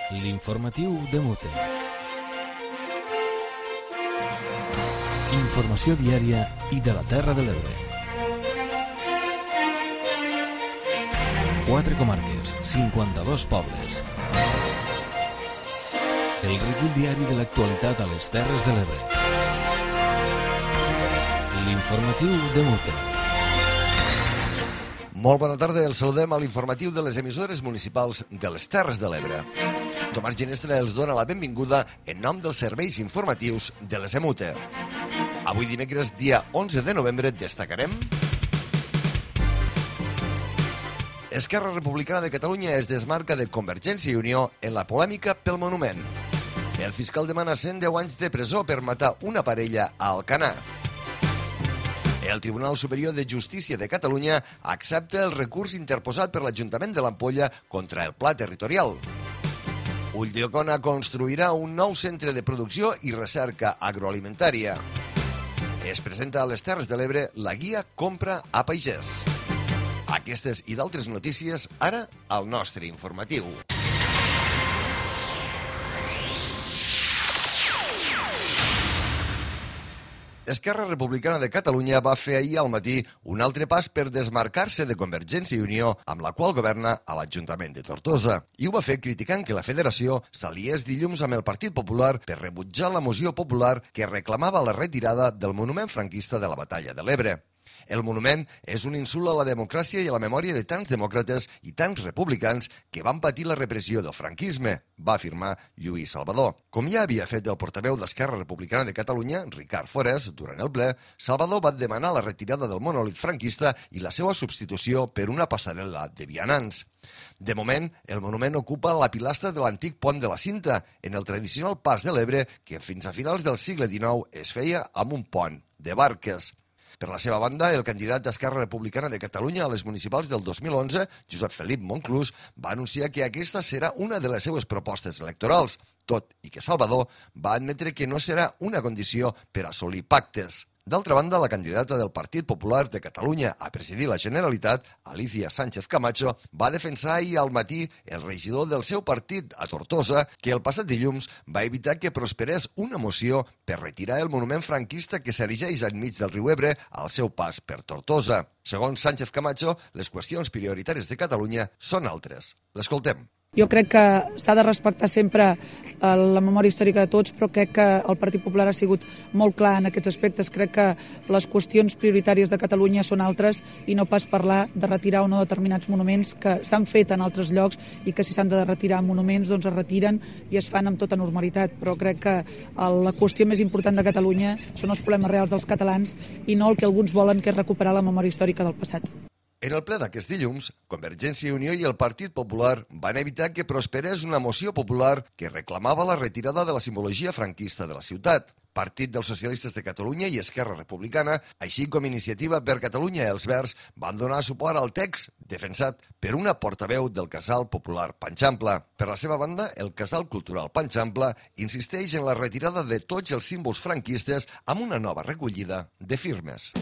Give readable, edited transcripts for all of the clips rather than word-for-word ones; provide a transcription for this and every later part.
L'informatiu de Mute. Informació diària i de la Terra de l'Ebre. 4 comarques, 52 pobles. El recull diari de l'actualitat a les Terres de l'Ebre. L'informatiu de Mute. Molt bona tarda, els saludem a l'informatiu de les emissores municipals de les Terres de l'Ebre. Tomàs Ginestra els dona la benvinguda en nom dels serveis informatius de les EMUTE. Avui dimecres, dia 11 de novembre, destacarem... Esquerra Republicana de Catalunya es desmarca de Convergència i Unió en la polèmica pel monument. El fiscal demana 110 anys de presó per matar una parella a Alcanar. El Tribunal Superior de Justícia de Catalunya accepta el recurs interposat per l'Ajuntament de l'Ampolla contra el Pla Territorial. Ulldecona construirà un nou centre de producció i recerca agroalimentària. Es presenta a les Terres de l'Ebre la guia Compra a Pagès. Aquestes i d'altres notícies ara al nostre informatiu. Esquerra Republicana de Catalunya va fer ahir al matí un altre pas per desmarcar-se de Convergència i Unió, amb la qual governa a l'Ajuntament de Tortosa. I ho va fer criticant que la federació s'aliés dilluns amb el Partit Popular per rebutjar la moció popular que reclamava la retirada del monument franquista de la Batalla de l'Ebre. El monument és un insult a la democràcia i a la memòria de tants demòcrates i tants republicans que van patir la repressió del franquisme, va afirmar Lluís Salvador. Com ja havia fet el portaveu d'Esquerra Republicana de Catalunya, Ricard Forés, durant el ple, Salvador va demanar la retirada del monòlit franquista i la seva substitució per una passarel·la de vianants. De moment, el monument ocupa la pilastra de l'antic pont de la Cinta, en el tradicional pas de l'Ebre que fins a finals del segle XIX es feia amb un pont de barques. Per la seva banda, el candidat d'Esquerra Republicana de Catalunya a les municipals del 2011, Josep Felip Monclús, va anunciar que aquesta serà una de les seues propostes electorals, tot i que Salvador va admetre que no serà una condició per assolir pactes. D'altra banda, la candidata del Partit Popular de Catalunya a presidir la Generalitat, Alicia Sánchez Camacho, va defensar ahir al matí el regidor del seu partit a Tortosa que el passat dilluns va evitar que prosperés una moció per retirar el monument franquista que s'erigeix enmig del riu Ebre al seu pas per Tortosa. Segons Sánchez Camacho, les qüestions prioritàries de Catalunya són altres. L'escoltem. Jo crec que s'ha de respectar sempre la memòria històrica de tots, però crec que el Partit Popular ha sigut molt clar en aquests aspectes. Crec que les qüestions prioritàries de Catalunya són altres i no pas parlar de retirar o no determinats monuments que s'han fet en altres llocs i que si s'han de retirar monuments doncs es retiren i es fan amb tota normalitat. Però crec que la qüestió més important de Catalunya són els problemes reals dels catalans i no el que alguns volen, que és recuperar la memòria històrica del passat. En el ple d'aquest dilluns, Convergència i Unió i el Partit Popular van evitar que prosperés una moció popular que reclamava la retirada de la simbologia franquista de la ciutat. Partit dels Socialistes de Catalunya i Esquerra Republicana, així com Iniciativa per Catalunya i els Verds, van donar suport al text defensat per una portaveu del Casal Popular Panxample. Per la seva banda, el Casal Cultural Panxample insisteix en la retirada de tots els símbols franquistes amb una nova recollida de firmes.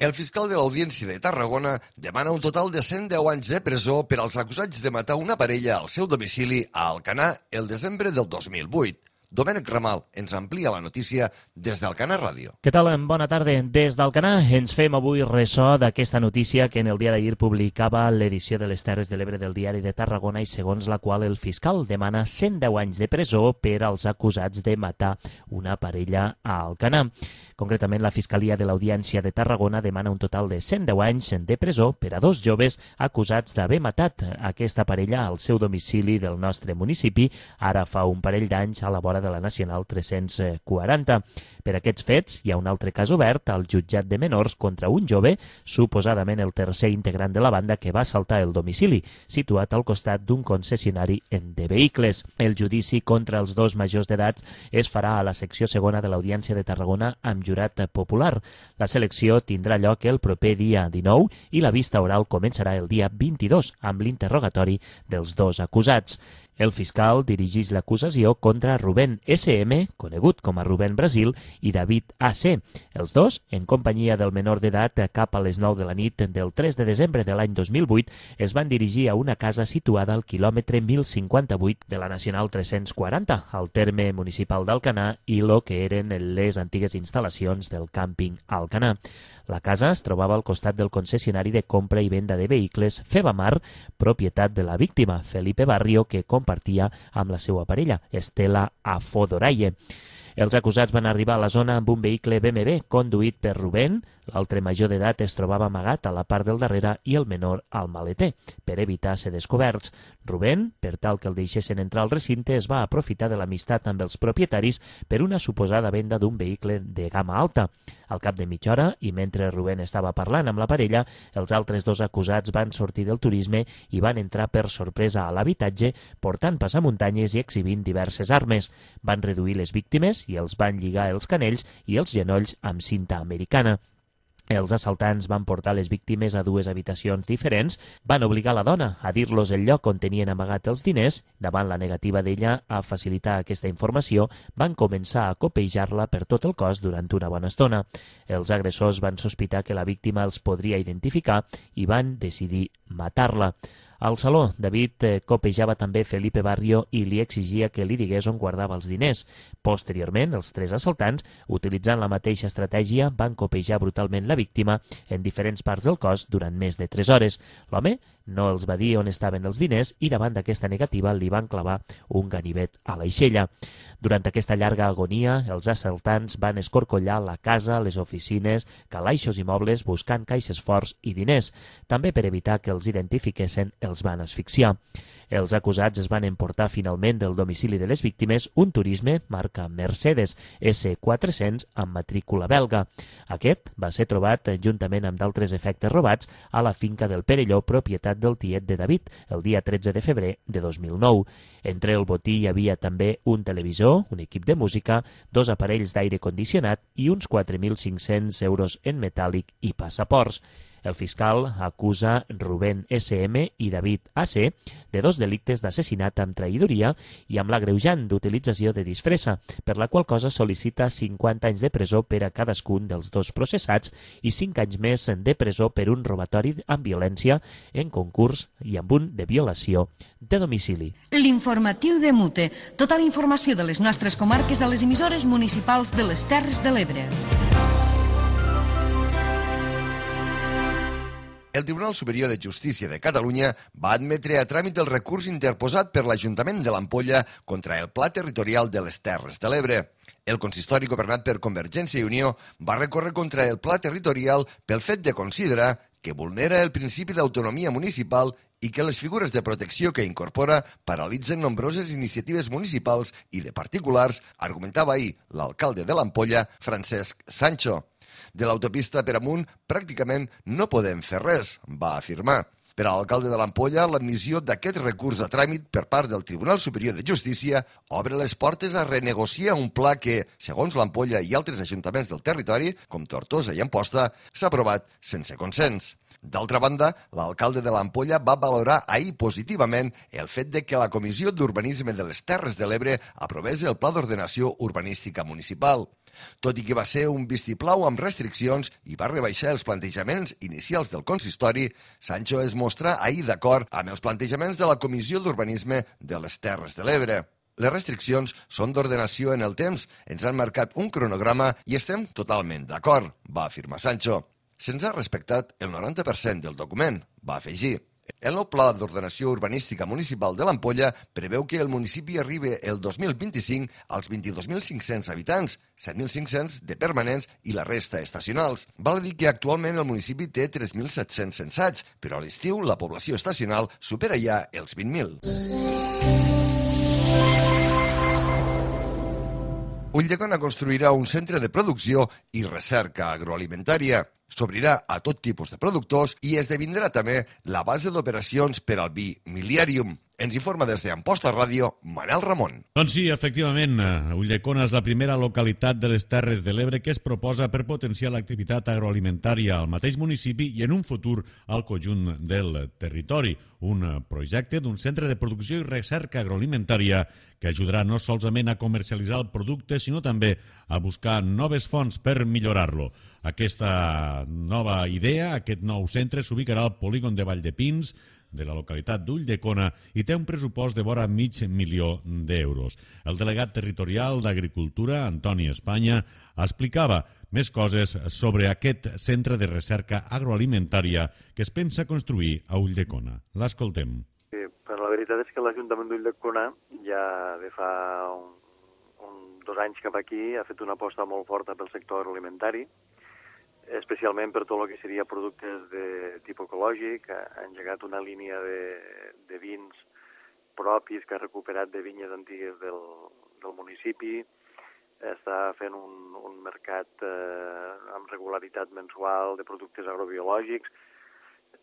El fiscal de l'Audiència de Tarragona demana un total de 110 anys de presó per als acusats de matar una parella al seu domicili a Alcanar el desembre del 2008. Domènec Ramal ens amplia la notícia des d'Alcanar Ràdio. Què tal? Bona tarda. Des d'Alcanar ens fem avui ressò d'aquesta notícia que en el dia d'ahir publicava l'edició de les Terres de l'Ebre del Diari de Tarragona i segons la qual el fiscal demana 110 anys de presó per als acusats de matar una parella a Alcanar. Concretament, la Fiscalia de l'Audiència de Tarragona demana un total de 110 anys de presó per a 2 joves acusats d'haver matat aquesta parella al seu domicili del nostre municipi ara fa un parell d'anys a la vora de la Nacional 340. Per aquests fets, hi ha un altre cas obert al jutjat de menors contra un jove, suposadament el tercer integrant de la banda que va assaltar el domicili, situat al costat d'un concessionari de vehicles. El judici contra els 2 majors d'edat es farà a la secció segona de l'Audiència de Tarragona amb jurat popular. La selecció tindrà lloc el proper dia 19 i la vista oral començarà el dia 22 amb l'interrogatori dels 2 acusats. El fiscal dirigeix l'acusació contra Rubén S.M., conegut com a Rubén Brasil, i David A.C. Els dos, en companyia del menor d'edat, cap a les 9 de la nit del 3 de desembre de l'any 2008, es van dirigir a una casa situada al quilòmetre 1058 de la Nacional 340, al terme municipal d'Alcanar i lo que eren les antigues instal·lacions del càmping Alcanar. La casa es trobava al costat del concessionari de compra i venda de vehicles Febamar, propietat de la víctima, Felipe Barrio, que compartia amb la seva parella, Estela Afodoraye. Els acusats van arribar a la zona amb un vehicle BMW conduït per Rubén. L'altre major d'edat es trobava amagat a la part del darrere i el menor al maleter, per evitar ser descoberts. Rubén, per tal que el deixessin entrar al recinte, es va aprofitar de l'amistat amb els propietaris per una suposada venda d'un vehicle de gamma alta. Al cap de mitja hora, i mentre Rubén estava parlant amb la parella, els altres dos acusats van sortir del turisme i van entrar per sorpresa a l'habitatge, portant passamuntanyes i exhibint diverses armes. Van reduir les víctimes i els van lligar els canells i els genolls amb cinta americana. Els assaltants van portar les víctimes a dues habitacions diferents, van obligar la dona a dir-los el lloc on tenien amagat els diners. Davant la negativa d'ella a facilitar aquesta informació, van començar a copejar-la per tot el cos durant una bona estona. Els agressors van sospitar que la víctima els podria identificar i van decidir matar-la. Al saló, David copejava també Felipe Barrio i li exigia que li digués on guardava els diners. Posteriorment, els tres assaltants, utilitzant la mateixa estratègia, van copejar brutalment la víctima en diferents parts del cos durant més de 3 hores. L'home no els va dir on estaven els diners i davant d'aquesta negativa li van clavar un ganivet a l'aixella. Durant aquesta llarga agonia, els assaltants van escorcollar la casa, les oficines, calaixos i mobles buscant caixes forts i diners. També per evitar que els identifiquessin, els van asfixiar. Els acusats es van emportar finalment del domicili de les víctimes un turisme marca Mercedes S400 amb matrícula belga. Aquest va ser trobat juntament amb d'altres efectes robats a la finca del Perelló, propietat del tiet de David, el dia 13 de febrer de 2009. Entre el botí hi havia també un televisor, un equip de música, 2 aparells d'aire condicionat i uns 4.500 euros en metàl·lic i passaports. El fiscal acusa Rubén S.M. i David A.C. de 2 delictes d'assassinat amb traïdoria i amb l'agreujant d'utilització de disfressa, per la qual cosa sol·licita 50 anys de presó per a cadascun dels dos processats i 5 anys més de presó per un robatori amb violència en concurs i amb un de violació de domicili. L'informatiu de Mute. Tota la informació de les nostres comarques a les emissores municipals de les Terres de l'Ebre. El Tribunal Superior de Justícia de Catalunya va admetre a tràmit el recurs interposat per l'Ajuntament de l'Ampolla contra el Pla Territorial de les Terres de l'Ebre. El consistori governat per Convergència i Unió va recórrer contra el Pla Territorial pel fet de considerar que vulnera el principi d'autonomia municipal i que les figures de protecció que incorpora paralitzen nombroses iniciatives municipals i de particulars, argumentava ahir l'alcalde de l'Ampolla, Francesc Sancho. De l'autopista per amunt pràcticament no podem fer res, va afirmar. Per a l'alcalde de l'Ampolla, l'admissió d'aquest recurs a tràmit per part del Tribunal Superior de Justícia obre les portes a renegociar un pla que, segons l'Ampolla i altres ajuntaments del territori, com Tortosa i Amposta, s'ha aprovat sense consens. D'altra banda, l'alcalde de l'Ampolla va valorar ahir positivament el fet de que la Comissió d'Urbanisme de les Terres de l'Ebre aprovés el Pla d'Ordenació Urbanística Municipal. Tot i que va ser un vistiplau amb restriccions i va rebaixar els plantejaments inicials del consistori, Sancho es mostrà ahir d'acord amb els plantejaments de la Comissió d'Urbanisme de les Terres de l'Ebre. Les restriccions són d'ordenació en el temps, ens han marcat un cronograma i estem totalment d'acord, va afirmar Sancho. Se'ns ha respectat el 90% del document, va afegir. El nou Pla d'Ordenació Urbanística Municipal de l'Ampolla preveu que el municipi arribi el 2025 als 22.500 habitants, 7.500 de permanents i la resta estacionals. Val a dir que actualment el municipi té 3.700 censats, però a l'estiu la població estacional supera ja els 20.000. Ulldecona construirà un centre de producció i recerca agroalimentària. s'obrirà a tot tipus de productors i esdevindrà també la base d'operacions per al vi Miliarium. Ens informa des d'Amposta Ràdio, Manel Ramon. Doncs sí, efectivament, Ulldecona és la primera localitat de les Terres de l'Ebre que es proposa per potenciar l'activitat agroalimentària al mateix municipi i en un futur al conjunt del territori. Un projecte d'un centre de producció i recerca agroalimentària que ajudarà no solament a comercialitzar el producte, sinó també a buscar noves fonts per millorar-lo. Aquesta nova idea, aquest nou centre, s'ubicarà al polígon de Valldepins, de la localitat d'Ulldecona, i té un pressupost de vora $500.000 d'euros. El delegat territorial d'Agricultura, Antoni Espanya, explicava més coses sobre aquest centre de recerca agroalimentària que es pensa construir a Ulldecona. L'escoltem. Però la veritat és que l'Ajuntament d'Ulldecona ja de fa 2 anys cap aquí ha fet una aposta molt forta pel sector agroalimentari, especialment per tot el que seria productes de tipus ecològic. Ha engegat una línia de vins propis que ha recuperat de vinyes antigues del municipi, està fent un mercat amb regularitat mensual de productes agrobiològics,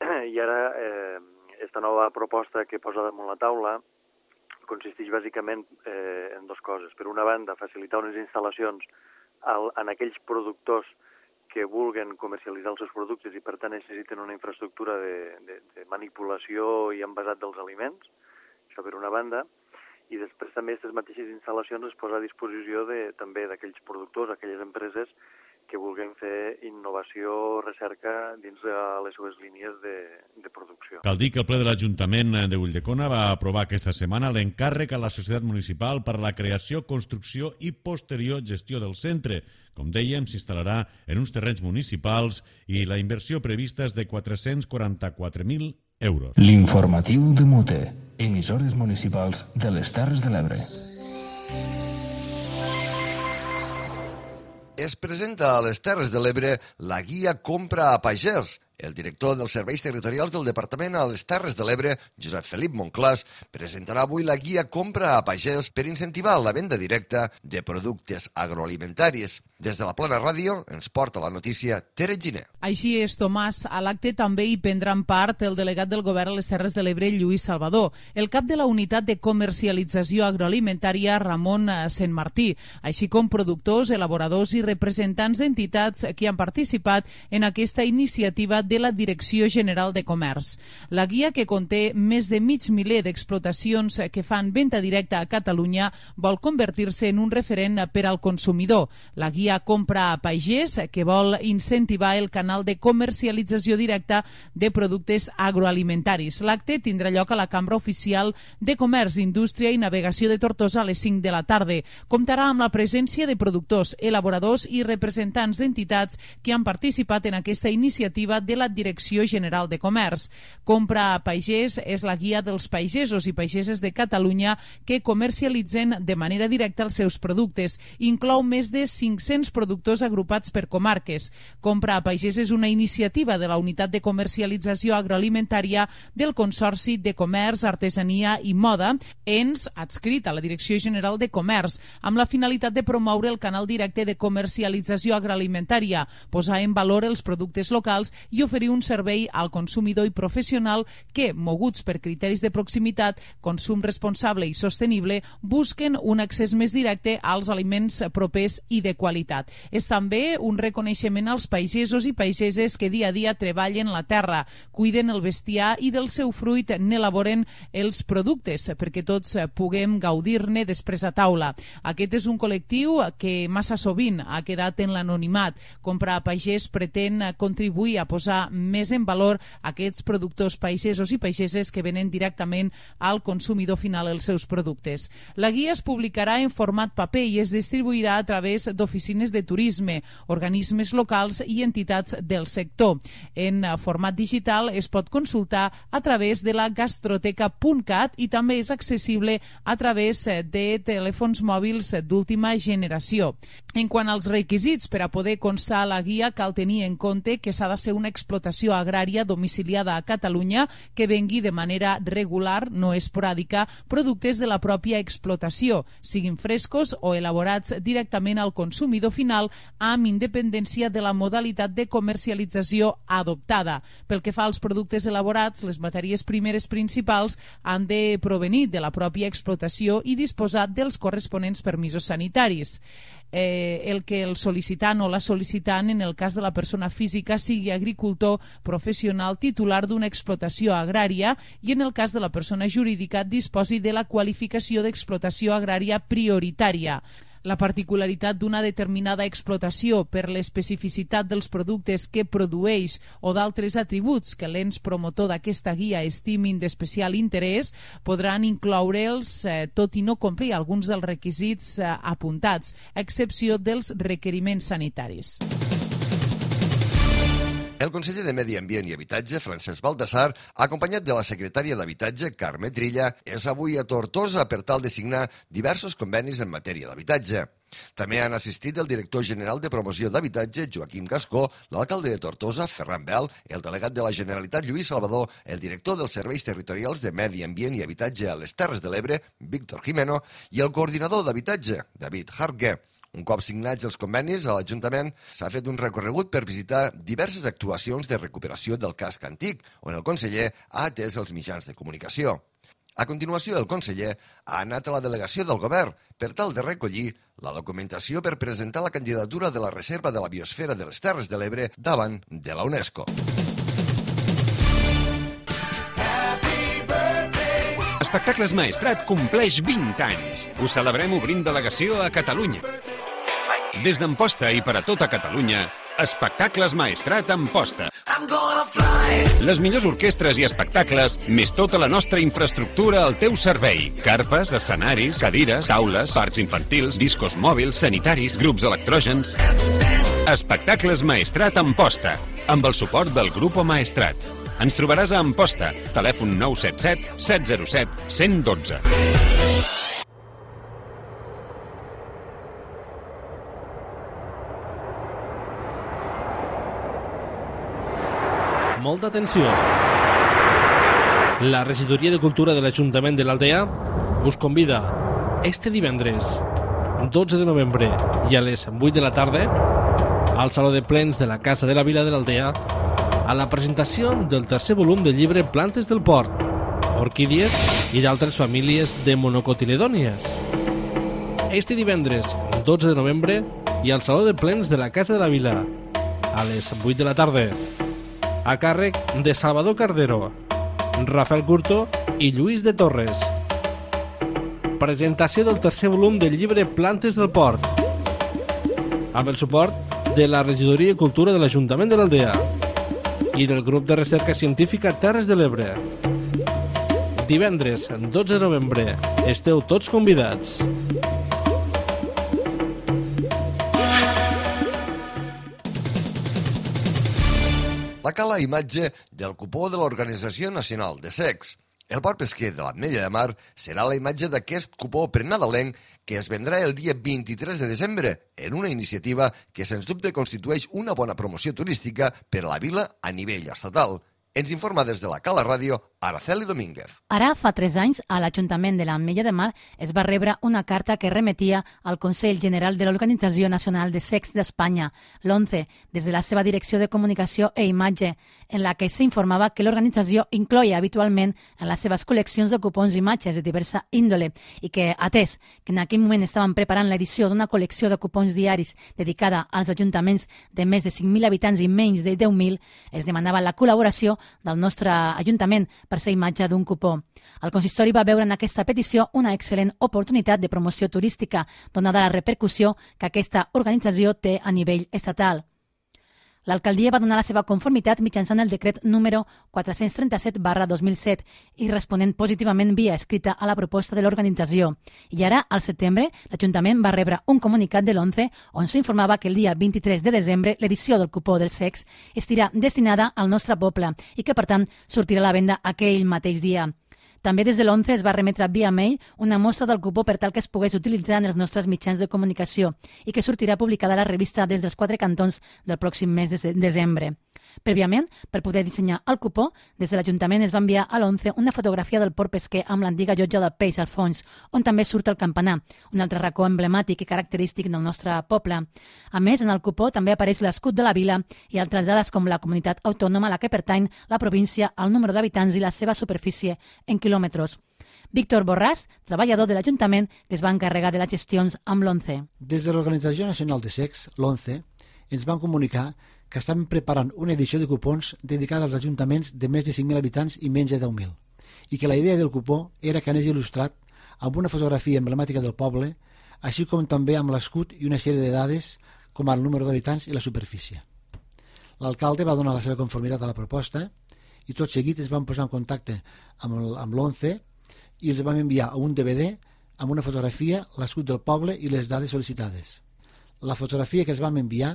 i ara esta nova proposta que posa damunt la taula consisteix bàsicament en 2 coses. Per una banda, facilitar unes instal·lacions en aquells productors que vulguen comercialitzar els seus productes i per tant necessiten una infraestructura de manipulació i envasat dels aliments, això per una banda, i després també aquestes mateixes instal·lacions es posa a disposició també d'aquells productors, aquelles empreses que vulguin fer innovació, recerca dins de les seves línies de producció. Cal dir que el ple de l'Ajuntament d'Ulldecona va aprovar aquesta setmana l'encàrrec a la Societat Municipal per la creació, construcció i posterior gestió del centre. Com dèiem, s'instal·larà en uns terrenys municipals i la inversió prevista és de 444.000 euros. L'informatiu de Mute, emissores municipals de les Terres de l'Ebre. Es presenta a les Terres de l'Ebre la guia Compra a Pagès. El director dels Serveis Territorials del Departament a les Terres de l'Ebre, Josep Felip Monclàs, presentarà avui la guia Compra a Pagès per incentivar la venda directa de productes agroalimentaris. Des de la Plana Ràdio ens porta la notícia Tere Giner. Així és, Tomàs. A l'acte també hi prendran part el delegat del Govern a les Terres de l'Ebre, Lluís Salvador, el cap de la Unitat de Comercialització Agroalimentària, Ramon Sentmartí, així com productors, elaboradors i representants d'entitats que han participat en aquesta iniciativa de la Direcció General de Comerç. La guia, que conté més de 500 d'explotacions que fan venda directa a Catalunya, vol convertir-se en un referent per al consumidor. La guia Compra a Pagès, que vol incentivar el canal de comercialització directa de productes agroalimentaris. L'acte tindrà lloc a la Cambra Oficial de Comerç, Indústria i Navegació de Tortosa a les 5 de la tarda. Comptarà amb la presència de productors, elaboradors i representants d'entitats que han participat en aquesta iniciativa de la Direcció General de Comerç. Compra a Pagès és la guia dels pagesos i pageses de Catalunya que comercialitzen de manera directa els seus productes. Inclou més de 500 productors agrupats per comarques. Compra a Pagès és una iniciativa de la Unitat de Comercialització Agroalimentària del Consorci de Comerç, Artesania i Moda, ens adscrit a la Direcció General de Comerç, amb la finalitat de promoure el canal directe de comercialització agroalimentària, posar en valor els productes locals i oferir un servei al consumidor i professional que, moguts per criteris de proximitat, consum responsable i sostenible, busquen un accés més directe als aliments propers i de qualitat. És també un reconeixement als pagesos i pageses que dia a dia treballen la terra, cuiden el bestiar i del seu fruit n'elaboren els productes perquè tots puguem gaudir-ne després a taula. Aquest és un col·lectiu que massa sovint ha quedat en l'anonimat. Compra a Pagès pretén contribuir a posar més en valor aquests productors pagesos i pageses que venen directament al consumidor final els seus productes. La guia es publicarà en format paper i es distribuirà a través d'oficines de turisme, organismes locals i entitats del sector. En format digital es pot consultar a través de la gastroteca.cat i també és accessible a través de telèfons mòbils d'última generació. En quant als requisits per a poder constar a la guia, cal tenir en compte que s'ha de ser un expert explotació agrària domiciliada a Catalunya que vengui de manera regular, no esporàdica, productes de la pròpia explotació, siguin frescos o elaborats directament al consumidor final amb independència de la modalitat de comercialització adoptada. Pel que fa als productes elaborats, les matèries primeres principals han de provenir de la pròpia explotació i disposar dels corresponents permisos sanitaris. El que el sol·licitant o la sol·licitant, en el cas de la persona física, sigui agricultor professional titular d'una explotació agrària i en el cas de la persona jurídica disposi de la qualificació d'explotació agrària prioritària. La particularitat d'una determinada explotació per l'especificitat dels productes que produeix o d'altres atributs que l'ens promotor d'aquesta guia estimin d'especial interès podran incloure'ls tot i no complir alguns dels requisits apuntats, a excepció dels requeriments sanitaris. El conseller de Medi Ambient i Habitatge, Francesc Baldassar, acompanyat de la secretària d'Habitatge, Carme Trilla, és avui a Tortosa per tal de signar diversos convenis en matèria d'habitatge. També han assistit el director general de promoció d'habitatge, Joaquim Gascó, l'alcalde de Tortosa, Ferran Bel, el delegat de la Generalitat, Lluís Salvador, el director dels serveis territorials de Medi Ambient i Habitatge a les Terres de l'Ebre, Víctor Jimeno, i el coordinador d'habitatge, David Hartge. Un cop signats els convenis, a l'Ajuntament s'ha fet un recorregut per visitar diverses actuacions de recuperació del casc antic, on el conseller ha atès els mitjans de comunicació. A continuació, el conseller ha anat a la delegació del govern per tal de recollir la documentació per presentar la candidatura de la Reserva de la Biosfera de les Terres de l'Ebre davant de la UNESCO. Espectacles Maestrat compleix 20 anys. Ho celebrem obrint delegació a Catalunya. Des d'Amposta i per a tota Catalunya, Espectacles Maestrat Amposta. Les millors orquestres i espectacles, més tota la nostra infraestructura al teu servei. Carpes, escenaris, cadires, taules, parcs infantils, discos mòbils, sanitaris, grups electrògens. Espectacles Maestrat Amposta, amb el suport del Grupo Maestrat. Ens trobaràs a Amposta, telèfon 977 707 112. Molta atenció. La Regidoria de Cultura de l'Ajuntament de l'Aldea us convida este divendres 12 de novembre i a les 8 de la tarda al Saló de Plens de la Casa de la Vila de l'Aldea a la presentació del tercer volum del llibre Plantes del Port, orquídies i d'altres famílies de monocotiledònies. Este divendres 12 de novembre i al Saló de Plens de la Casa de la Vila a les 8 de la tarda, a càrrec de Salvador Cardero, Rafael Curto i Lluís de Torres. Presentació del tercer volum del llibre Plantes del Port, amb el suport de la Regidoria de Cultura de l'Ajuntament de l'Aldea i del Grup de Recerca Científica Terres de l'Ebre. Divendres 12 de novembre. Esteu tots convidats. La cala imatge del cupó de l'Organització Nacional de Secs. El port pesquer de l'Ametlla de Mar serà la imatge d'aquest cupó prenadalenc que es vendrà el dia 23 de desembre en una iniciativa que sens dubte constitueix una bona promoció turística per a la vila a nivell estatal. Ens informa des de la Cala Ràdio, Araceli Domínguez. Ara, fa 3 anys, a l'Ajuntament de l'Ametlla de Mar es va rebre una carta que remetia al Consell General de l'Organització Nacional de Secs d'Espanya, l'ONCE, des de la seva Direcció de Comunicació e Imatge, en la que s'informava que l'organització incloia habitualment en les seves col·leccions de cupons imatges de diversa índole i que, atès que en aquell moment estaven preparant l'edició d'una col·lecció de cupons diaris dedicada als ajuntaments de més de 5.000 habitants i menys de 10.000, es demanava la col·laboració del nostre Ajuntament per ser imatge d'un cupó. El consistori va veure en aquesta petició una excel·lent oportunitat de promoció turística, donada la repercussió que aquesta organització té a nivell estatal. L'alcaldia va donar la seva conformitat mitjançant el decret número 437/2007 i responent positivament via escrita a la proposta de l'organització. I ara, al setembre, l'Ajuntament va rebre un comunicat de l'ONCE on s'informava que el dia 23 de desembre l'edició del cupó dels secs estirà destinada al nostre poble i que, per tant, sortirà a la venda aquell mateix dia. També des de l'ONCE es va remetre via mail una mostra del cupó per tal que es pogués utilitzar en els nostres mitjans de comunicació i que sortirà publicada a la revista des dels 4 cantons del pròxim mes de desembre. Prèviament, per poder dissenyar el cupó, des de l'Ajuntament es va enviar a l'11 una fotografia del port pesquer amb l'antiga llotja del peix al fons, on també surt el campanar, un altre racó emblemàtic i característic del nostre poble. A més, en el cupó també apareix l'escut de la vila i altres dades com la comunitat autònoma a la que pertany, la província, el número d'habitants i la seva superfície en quilòmetres. Víctor Borràs, treballador de l'Ajuntament, que es va encarregar de les gestions amb l'11. Des de l'Organització Nacional de Secs, l'11, ens van comunicar que estaven preparant una edició de cupons dedicada als ajuntaments de més de 5.000 habitants i menys de 10.000, i que la idea del cupó era que anés il·lustrat amb una fotografia emblemàtica del poble, així com també amb l'escut i una sèrie de dades com el número d'habitants i la superfície. L'alcalde va donar la seva conformitat a la proposta i tot seguit es van posar en contacte amb l'11 i els vam enviar un DVD amb una fotografia, l'escut del poble i les dades sol·licitades. La fotografia que els vam enviar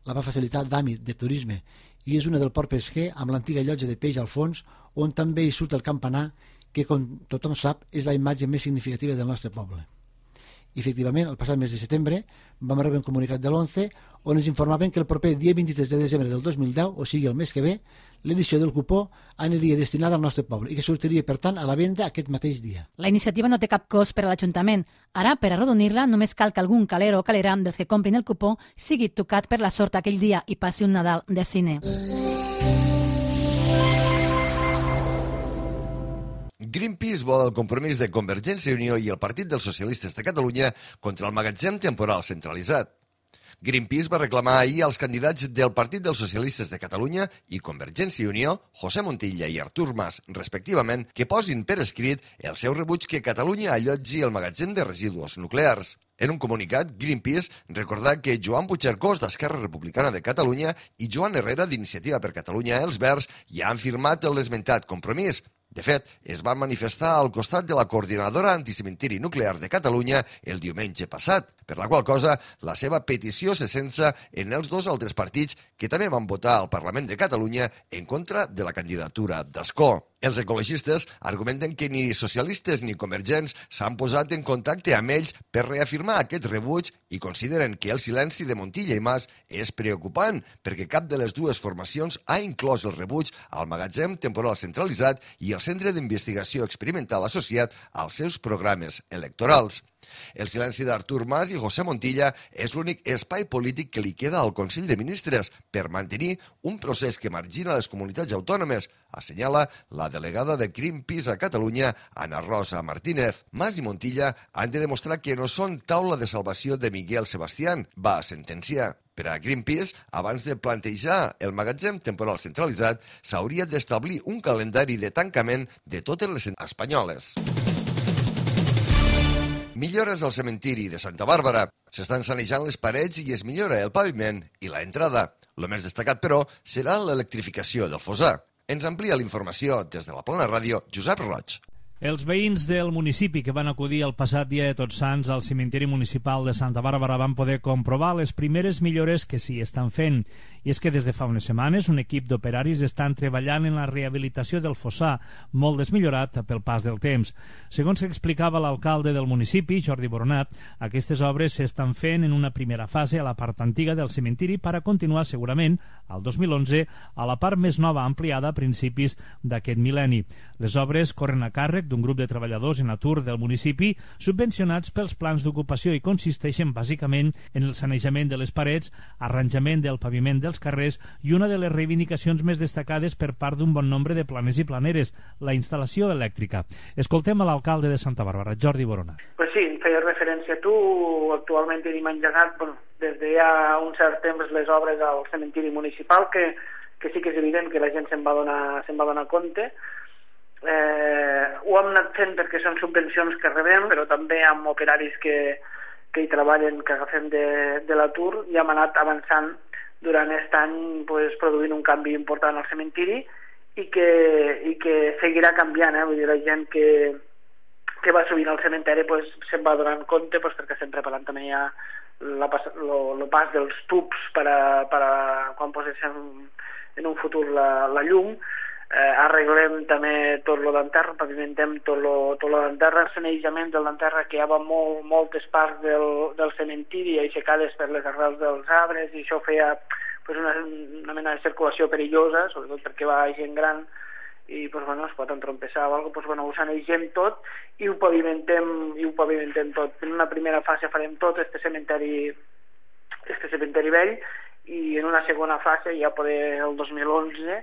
la va facilitar Dami de Turisme i és una del port pesquer amb l'antiga llotja de peix al fons on també hi surt el campanar que, com tothom sap, és la imatge més significativa del nostre poble. I, efectivament, el passat mes de setembre vam rebre un comunicat de l'11 on ens informaven que el proper dia 23 de desembre del 2010, o sigui el mes que ve, l'edició del cupó aniria destinada al nostre poble i que sortiria, per tant, a la venda aquest mateix dia. La iniciativa no té cap cost per a l'Ajuntament. Ara, per arrodonir-la, només cal que algun caler o calera dels que comprin el cupó sigui tocat per la sort aquell dia i passi un Nadal de cine. Greenpeace vol el compromís de Convergència i Unió i el Partit dels Socialistes de Catalunya contra el magatzem temporal centralitzat. Greenpeace va reclamar ahir als candidats del Partit dels Socialistes de Catalunya i Convergència i Unió, José Montilla i Artur Mas, respectivament, que posin per escrit el seu rebuig que Catalunya allotgi el magatzem de residus nuclears. En un comunicat, Greenpeace recordà que Joan Puigcercós, d'Esquerra Republicana de Catalunya, i Joan Herrera, d'Iniciativa per Catalunya Els Verds, ja han firmat l'esmentat compromís. De fet, es van manifestar al costat de la Coordinadora Anticementiri Nuclear de Catalunya el diumenge passat, per la qual cosa la seva petició se sensa en els dos altres partits que també van votar al Parlament de Catalunya en contra de la candidatura d'Escó. Els ecologistes argumenten que ni socialistes ni convergents s'han posat en contacte amb ells per reafirmar aquest rebuig i consideren que el silenci de Montilla i Mas és preocupant perquè cap de les dues formacions ha inclòs el rebuig al magatzem temporal centralitzat i el centre d'investigació experimental associat als seus programes electorals. El silenci d'Artur Mas i José Montilla és l'únic espai polític que li queda al Consell de Ministres per mantenir un procés que margina les comunitats autònomes, assenyala la delegada de Greenpeace a Catalunya, Ana Rosa Martínez. Mas i Montilla han de demostrar que no són taula de salvació de Miguel Sebastián, va sentenciar. Per a Greenpeace, abans de plantejar el magatzem temporal centralitzat, s'hauria d'establir un calendari de tancament de totes les espanyoles. Millores al cementiri de Santa Bàrbara. S'estan sanejant les parets i es millora el paviment i la entrada. El més destacat, però, serà l'electrificació del fossar. Ens amplia la informació des de la Plana Ràdio, Josep Roig. Els veïns del municipi que van acudir el passat dia de Tots Sants al cementiri municipal de Santa Bàrbara van poder comprovar les primeres millores que s'hi estan fent. I és que des de fa unes setmanes un equip d'operaris estan treballant en la rehabilitació del fossar, molt desmillorat pel pas del temps. Segons explicava l'alcalde del municipi, Jordi Boronat, aquestes obres s'estan fent en una primera fase a la part antiga del cementiri per a continuar segurament, al 2011, a la part més nova ampliada a principis d'aquest mil·lenni. Les obres corren a càrrec d'un grup de treballadors en atur del municipi subvencionats pels plans d'ocupació i consisteixen bàsicament en el sanejament de les parets, arranjament del paviment dels carrers i una de les reivindicacions més destacades per part d'un bon nombre de planers i planeres, la instal·lació elèctrica. Escoltem a l'alcalde de Santa Bàrbara, Jordi Borona. Pues sí, feia referència a tu, actualment tenim engegat des de ja un cert temps les obres al cementiri municipal, que sí que és evident que la gent se'n va donar compte. Ho hem anat fent perquè són subvencions que rebem, però també amb operaris que hi treballen, que agafem de l'atur, i hem anat avançant durant aquest any produint un canvi important al cementiri i que seguirà canviant. Vull dir, la gent que va sovint al cementeri se'n va donant compte perquè estem preparant també ja el pas dels tubs per a quan poséssim en un futur la llum. Arreglem també tot lo d'enterra, pavimentem tot lo d'enterra, el sanejament del d'enterra, que hi havia moltes parts del cementiri aixecades per les arrels dels arbres, i això feia una mena de circulació perillosa, sobretot perquè va gent gran i es pot entrompessar o alguna cosa, ho sanegem tot i ho pavimentem tot. En una primera fase farem tot este cementeri vell i en una segona fase ja poder el 2011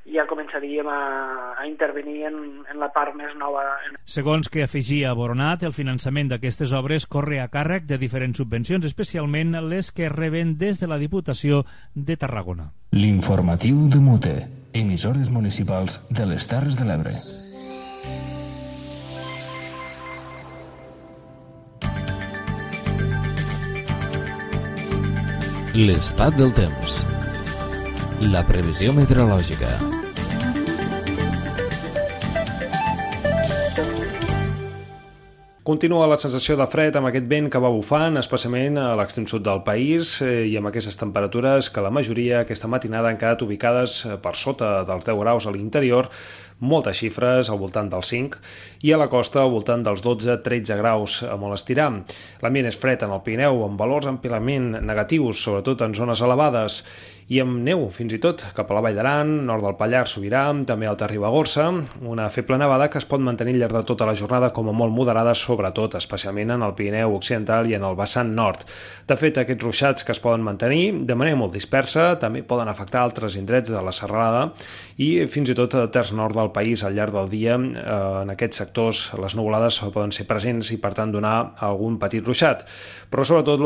ja començaríem a intervenir en la part més nova. Segons que afegia Boronat, el finançament d'aquestes obres corre a càrrec de diferents subvencions, especialment les que reben des de la Diputació de Tarragona. L'informatiu de Mute, emissores municipals de les Terres de l'Ebre. L'estat del temps. La previsió meteorològica. Continua la sensació de fred amb aquest vent que va bufant, especialment a l'extrem sud del país, i amb aquestes temperatures que la majoria aquesta matinada han quedat ubicades per sota dels 10 graus a l'interior, moltes xifres al voltant dels 5, i a la costa al voltant dels 12-13 graus a molt estirar. L'ambient és fred en el Pirineu, amb valors amplament negatius, sobretot en zones elevades, i amb neu, fins i tot, cap a la Vall d'Aran, nord del Pallars Sobirà, també Alta Ribagorça, una feble nevada que es pot mantenir al llarg de tota la jornada com a molt moderada, sobretot, especialment en el Pirineu Occidental i en el vessant nord. De fet, aquests ruixats que es poden mantenir de manera molt dispersa també poden afectar altres indrets de la serralada i fins i tot a terç nord del país al llarg del dia. En aquests sectors les nuvolades poden ser presents i per tant donar algun petit ruixat. Però sobretot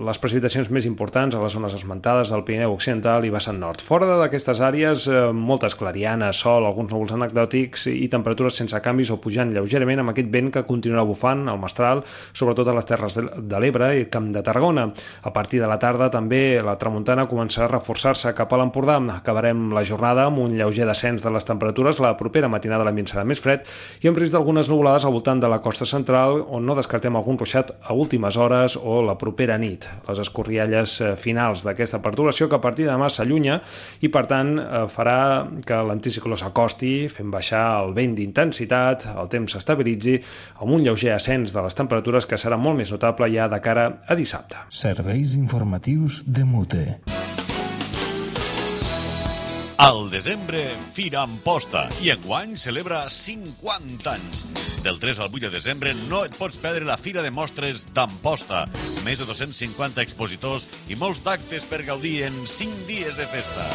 les precipitacions més importants a les zones esmentades del Pirineu Occidental i vessant nord. Fora d'aquestes àrees, moltes clarianes, sol, alguns núvols anecdòtics i temperatures sense canvis o pujant lleugerament amb aquest vent que continuarà bufant al mestral, sobretot a les Terres de l'Ebre i Camp de Tarragona. A partir de la tarda també la tramuntana començarà a reforçar-se cap a l'Empordà. Acabarem la jornada amb un lleuger descens de les temperatures. La propera matinada l'ambient serà més fred i amb risc d'algunes nuvolades al voltant de la costa central, on no descartem algun ruixat a últimes hores o la propera nit. Les escorrialles finals d'aquesta perturbació que a partir de demà s'allunya i per tant farà que l'anticicló s'acosti, fent baixar el vent d'intensitat, el temps s'estabilitzi amb un lleuger ascens de les temperatures que serà molt més notable ja de cara a dissabte. Serveis informatius de Mute. Al desembre, Fira Amposta, i enguany celebra 50 anys. Del 3 al 8 de desembre no et pots perdre la Fira de Mostres d'Amposta. Més de 250 expositors i molts d'actes per gaudir en 5 dies de festa.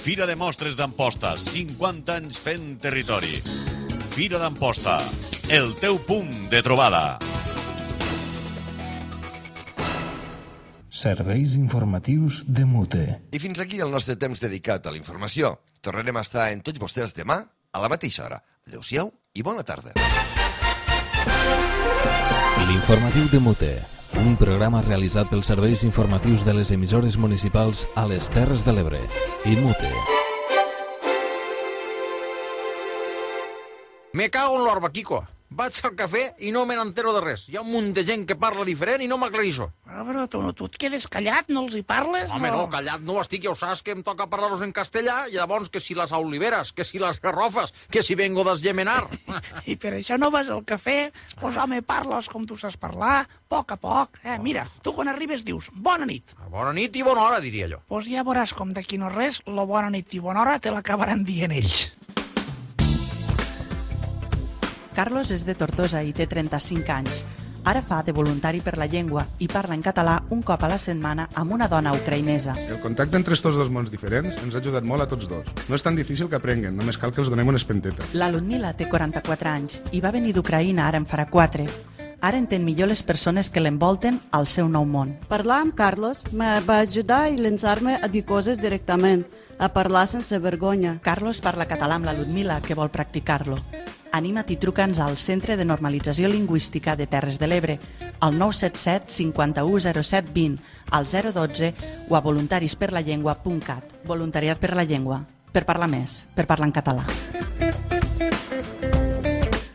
Fira de Mostres d'Amposta, 50 anys fent territori. Fira d'Amposta, el teu punt de trobada. Serveis informatius de Mute. I fins aquí el nostre temps dedicat a la informació. Tornarem a estar en tots vostès demà a la mateixa hora. Adéu-siau i bona tarda. L'informatiu de Mute, un programa realitzat pels serveis informatius de les emissores municipals a les Terres de l'Ebre i Mute. Me cago en l'orba, Kiko. Vaig al cafè i no me n'entero de res. Hi ha un munt de gent que parla diferent i no m'aclareixo. Però tu et quedes callat, no els hi parles? Home, no, callat no estic, ja ho saps que em toca parlar-los en castellà i llavors que si les oliveres, que si les garrofes, que si vengo d'Esgemenar. I per això no vas al cafè? Pues home, parles com tu saps parlar, a poc. Mira, tu quan arribes dius bona nit. Bona nit i bona hora, diria jo. Pues ja veuràs com d'aquí no res, la bona nit i bona hora te l'acabaran dient ells. Carlos és de Tortosa i té 35 anys. Ara fa de voluntari per la llengua i parla en català un cop a la setmana amb una dona ucraïnesa. El contacte entre estos dos mons diferents ens ha ajudat molt a tots dos. No és tan difícil que aprenguen, només cal que els donem una espenteta. La Ludmila té 44 anys i va venir d'Ucraïna ara en farà 4. Ara entén millor les persones que l'envolten al seu nou món. Parlar amb Carlos me va ajudar i llançar-me a dir coses directament, a parlar sense vergonya. Carlos parla català amb la Ludmila, que vol practicar-lo. Anima't i truca'ns al Centre de Normalització Lingüística de Terres de l'Ebre, al 977 51 07 20, al 012 o a voluntarisperlallengua.cat. Voluntariat per la llengua. Per parlar més, per parlar en català.